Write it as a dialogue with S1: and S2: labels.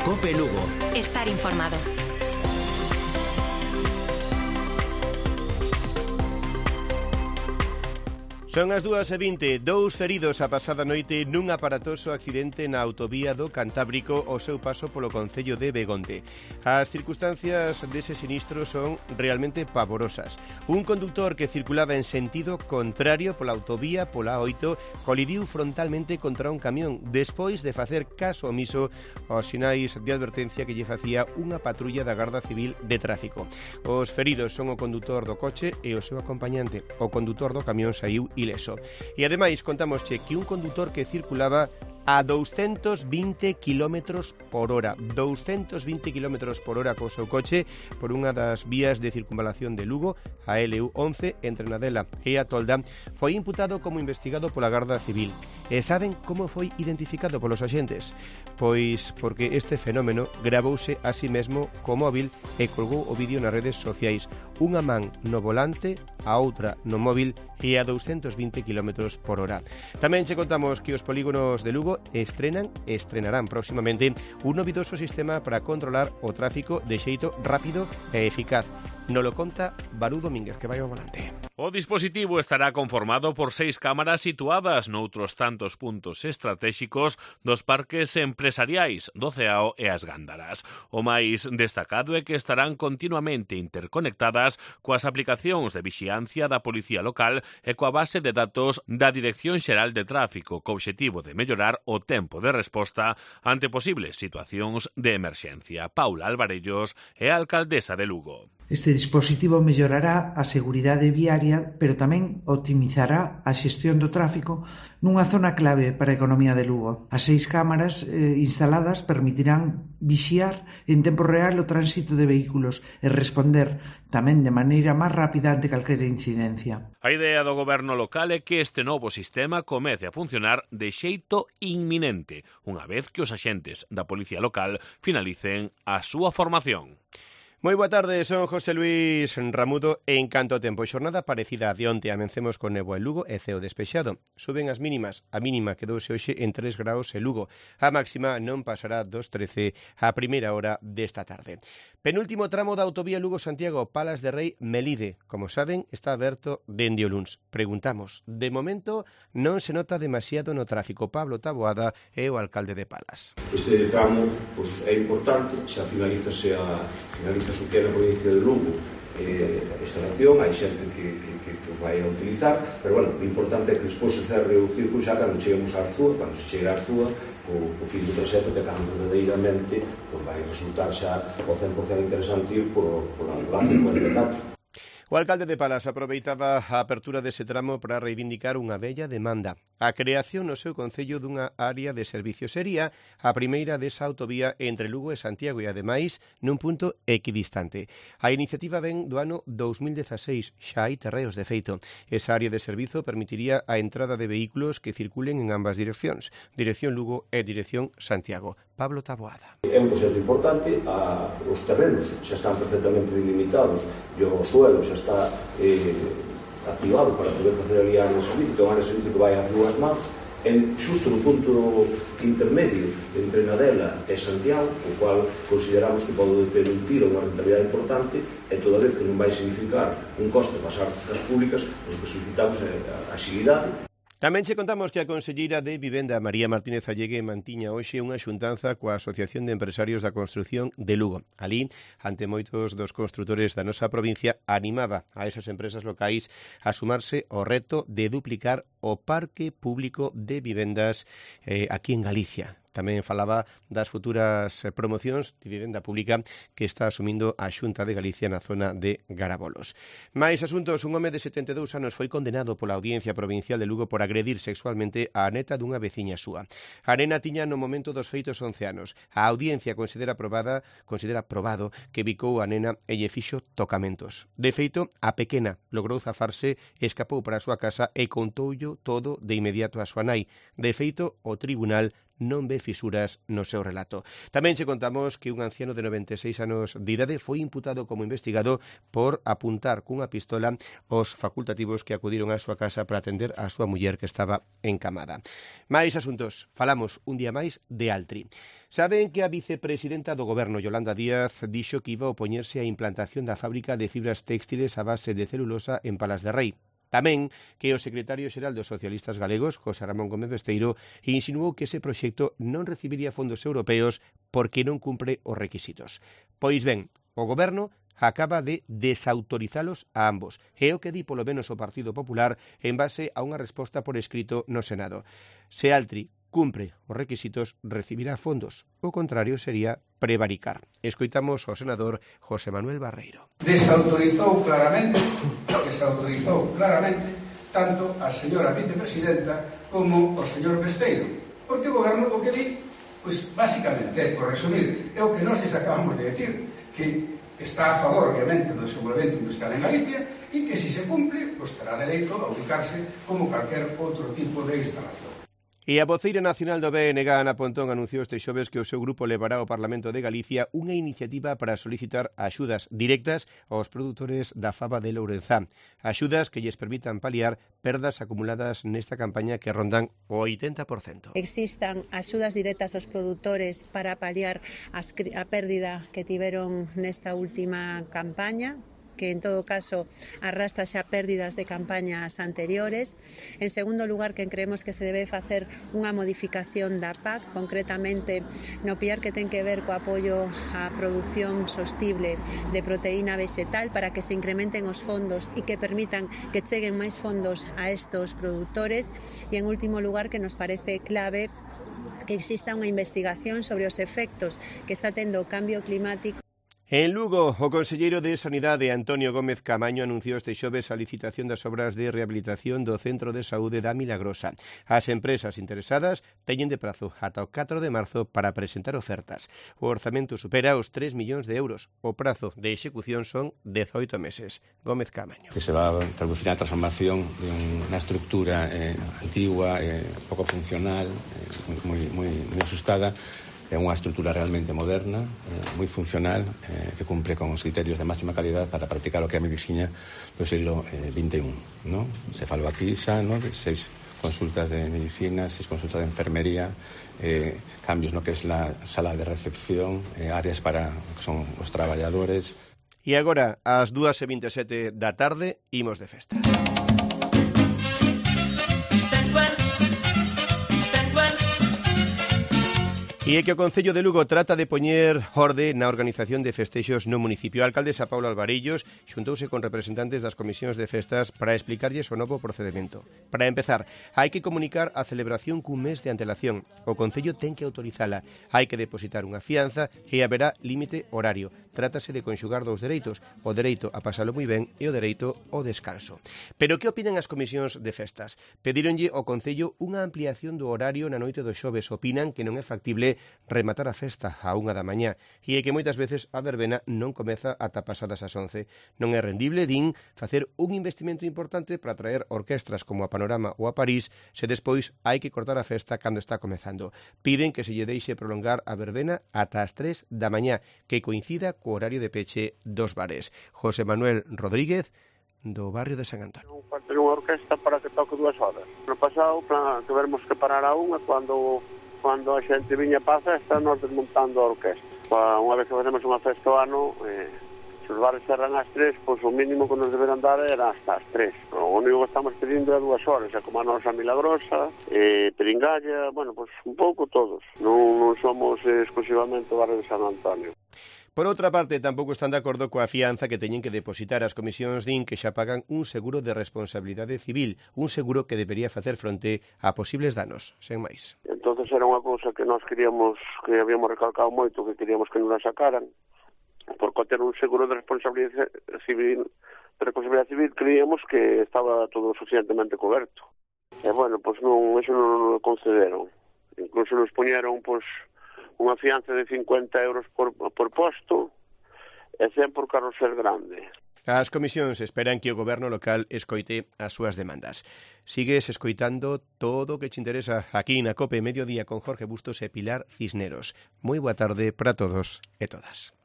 S1: COPE Lugo.
S2: Estar informado.
S3: Son as 2:20, 2 feridos a pasada noite nun aparatoso accidente na autovía do Cantábrico ao seu paso polo concello de Begonte. As circunstancias dese sinistro son realmente pavorosas. Un conductor que circulaba en sentido contrario pola autovía pola A8 colidiu frontalmente contra un camión despois de facer caso omiso aos sinais de advertencia que lle facía unha patrulla da Garda Civil de Tráfico. Os feridos son o condutor do coche e o seu acompañante. O condutor do camión saiu ileso. E ademais contámosche que un condutor que circulaba a 220 km por hora. 220 km por hora co seu coche por unha das vías de circunvalación de Lugo, a LU11, entre Nadela e a Tolda, foi imputado como investigado pola Garda Civil. E saben como foi identificado polos axentes? Pois porque este fenómeno gravouse a sí mesmo co móvil e colgou o vídeo nas redes sociais. Unha man no volante, a outra no móvil e a 220 km por hora. Tamén che contamos que os polígonos de Lugo estrenarán próximamente un novidoso sistema para controlar o tráfico de xeito rápido e eficaz. Nolo conta Barú Domínguez, que vai ao volante.
S4: O dispositivo estará conformado por 6 cámaras situadas noutros tantos puntos estratégicos dos parques empresariais do Ceao e as Gándaras. O máis destacado é que estarán continuamente interconectadas coas aplicacións de vixiancia da Policía Local e coa base de datos da Dirección Xeral de Tráfico, co obxectivo de mellorar o tempo de resposta ante posibles situacións de emerxencia. Paula Alvarellos é a alcaldesa de Lugo.
S5: Este dispositivo mellorará a seguridade viaria, pero tamén optimizará a xestión do tráfico nunha zona clave para a economía de Lugo. As 6 cámaras instaladas permitirán vixiar en tempo real o tránsito de vehículos e responder tamén de maneira máis rápida ante calquera incidencia.
S4: A idea do goberno local é que este novo sistema comece a funcionar de xeito inminente, unha vez que os axentes da Policía Local finalicen a súa formación.
S3: Moi boa tarde, son José Luis Ramudo e en canto ao tempo. Xornada parecida a de onte, amencemos con néboa en Lugo e ceo despexado. Suben as mínimas, a mínima quedouse hoxe en 3 graus en Lugo. A máxima non pasará dos 13 a primeira hora desta tarde. Penúltimo tramo da autovía Lugo-Santiago, Palas de Rei Melide. Como saben, está aberto dende o luns. Preguntamos, de momento non se nota demasiado no tráfico. Pablo Taboada é o alcalde de Palas.
S6: Este tramo é importante, xa finalizase o que é na provincia de Lugo a instalación, hai xente que vai a utilizar, pero bueno, o importante é que despois se cerre o círculo xa cando cheguemos á Arzúa, cando se chegue á Arzúa, o fin do traxecto que cando verdadeiramente vai resultar xa o 100% interesante ir pola 54.
S3: O alcalde de Palas aproveitaba a apertura dese tramo para reivindicar unha bella demanda. A creación no seu concello dunha área de servicio sería a primeira desa autovía entre Lugo e Santiago e, ademais, nun punto equidistante. A iniciativa ven do ano 2016, xa hai terreos de feito. Esa área de servizo permitiría a entrada de vehículos que circulen en ambas direccións, dirección Lugo e dirección Santiago. Pablo Taboada.
S6: É un proxecto importante, os terrenos xa están perfectamente delimitados e o suelo xa está activado para poder facer ali a área de servicio, a área de servicio que vai ás dúas mãos, xusto no punto intermedio entre Nadela e Santiago, o cual consideramos que pode ter un tiro, unha rentabilidade importante, e toda vez que non vai significar un coste pasar das públicas, o que solicitamos é a axilidade.
S3: Tamén che contamos que a conselleira de Vivenda, María Martínez Allegue, mantiña hoxe unha xuntanza coa Asociación de Empresarios da Construción de Lugo. Alí, ante moitos dos construtores da nosa provincia, animaba a esas empresas locais a sumarse ao reto de duplicar o parque público de vivendas aquí en Galicia. Tamén falaba das futuras promocións de vivenda pública que está asumindo a Xunta de Galicia na zona de Garabolos. Mais asuntos, un home de 72 anos foi condenado pola Audiencia Provincial de Lugo por agredir sexualmente a neta dunha veciña súa. A nena tiña no momento dos feitos 11 anos. A Audiencia considera probado que bicou a nena e lle fixo tocamentos. De feito, a pequena logrou zafarse, escapou para a súa casa e contoullo todo de inmediato a súa nai. De feito, o tribunal non ve fisuras no seu relato. Tamén che contamos que un anciano de 96 anos de idade foi imputado como investigado por apuntar cunha pistola aos facultativos que acudiron á súa casa para atender a súa muller que estaba encamada. Mais asuntos, falamos un día máis de Altri. Saben que a vicepresidenta do Goberno, Yolanda Díaz, dixo que iba a opoñerse á implantación da fábrica de fibras téxtiles a base de celulosa en Palas de Rei. Tamén que o secretario xeral dos socialistas galegos, José Ramón Gómez Besteiro, insinuou que ese proxecto non recibiría fondos europeos porque non cumpre os requisitos. Pois ben, o Goberno acaba de desautorizalos a ambos. É o que di polo menos o Partido Popular en base a unha resposta por escrito no Senado. Se Altri cumpre os requisitos, recibirá fondos. O contrario sería prevaricar. Escoitamos ao senador José Manuel Barreiro.
S1: Desautorizou claramente tanto a señora vicepresidenta como o señor Besteiro. Porque o goberno o que di, pois basicamente, por resumir, é o que nós acabamos de decir, que está a favor, obviamente, do desenvolvemento industrial en Galicia e que, se cumple, pois terá dereito a ubicarse como calquer outro tipo de instalación.
S3: E a voceira nacional do BNG, Ana Pontón, anunciou este xoves que o seu grupo levará ao Parlamento de Galicia unha iniciativa para solicitar axudas directas aos produtores da faba de Lourenzá. Axudas que lles permitan paliar perdas acumuladas nesta campaña que rondan o 80%.
S2: Existan axudas directas aos produtores para paliar a pérdida que tiveron nesta última campaña, que en todo caso arrastra xa pérdidas de campañas anteriores. En segundo lugar, que creemos que se debe facer unha modificación da PAC, concretamente no piar que ten que ver co apoio á produción sostible de proteína vegetal para que se incrementen os fondos e que permitan que cheguen máis fondos a estos produtores. E en último lugar, que nos parece clave que exista unha investigación sobre os efectos que está tendo o cambio climático.
S3: En Lugo, o conselleiro de Sanidade, Antonio Gómez Camaño, anunciou este xoves a licitación das obras de rehabilitación do Centro de Saúde da Milagrosa. As empresas interesadas teñen de prazo ata o 4 de marzo para presentar ofertas. O orzamento supera os 3 millóns de euros. O prazo de execución son 18 meses. Gómez Camaño.
S7: Que se va a traducir a transformación de unha estructura antigua, pouco funcional, moi asustada. É unha estrutura realmente moderna, moi funcional, que cumpre con os criterios de máxima calidad para practicar o que é a medicina do siglo XXI. ¿no? Se falou aquí xa de 6 consultas de medicina, 6 consultas de enfermería, cambios no que é a sala de recepción, áreas para que son os traballadores.
S3: E agora, ás 2:27 da tarde, imos de festa. E é que o Concello de Lugo trata de poñer orde na organización de festexos no municipio. A alcaldesa Paula Alvarellos xuntouse con representantes das comisións de festas para explicarlles o novo procedimento. Para empezar, hai que comunicar a celebración cun mes de antelación. O Concello ten que autorizala. Hai que depositar unha fianza e haberá límite horario. Trátase de conxugar dous dereitos, o dereito a pasalo moi ben e o dereito ao descanso. Pero que opinan as comisións de festas? Pedíronlle ao Concello unha ampliación do horario na noite do xoves. Opinan que non é factible rematar a festa a 1 da mañá e é que moitas veces a verbena non comeza ata pasadas as 11. Non é rendible, din, facer un investimento importante para traer orquestras como a Panorama ou a París se despois hai que cortar a festa cando está comezando. Piden que se lle deixe prolongar a verbena ata as 3 da mañá, que coincida co horario de peche dos bares. José Manuel Rodríguez, do barrio de San Antonio.
S8: Ter unha orquesta para que toque 2 horas. No pasado, tivemos que parar a 1 cando a xente viña para a festa, nós desmontando a orquesta. Unha vez que facemos unha festa ao ano, se os bares cerran ás 3, pois o mínimo que nos deberán dar era hasta as 3. O único que estamos pedindo é 2 horas, é como a nosa Milagrosa, Peringalla, pois un pouco todos. Non somos exclusivamente o barrio de San Antonio.
S3: Por outra parte, tampouco están de acordo coa fianza que teñen que depositar as comisións din que xa pagan un seguro de responsabilidade civil, un seguro que debería facer fronte a posibles danos, sen máis.
S8: Entonces era unha cousa que nós queríamos, que habíamos recalcado moito, que queríamos que nos la sacaran, porque ter un seguro de responsabilidade civil, creíamos que estaba todo suficientemente coberto. E pois non, eso non o concederon. Incluso nos poñeron, pois, unha fianza de 50 euros por posto e 100 por carrusel grande.
S3: As comisións esperan que o goberno local escoite as súas demandas. Sigues escoitando todo o que te interesa aquí na COPE Mediodía con Jorge Bustos e Pilar Cisneros. Moi boa tarde para todos e todas.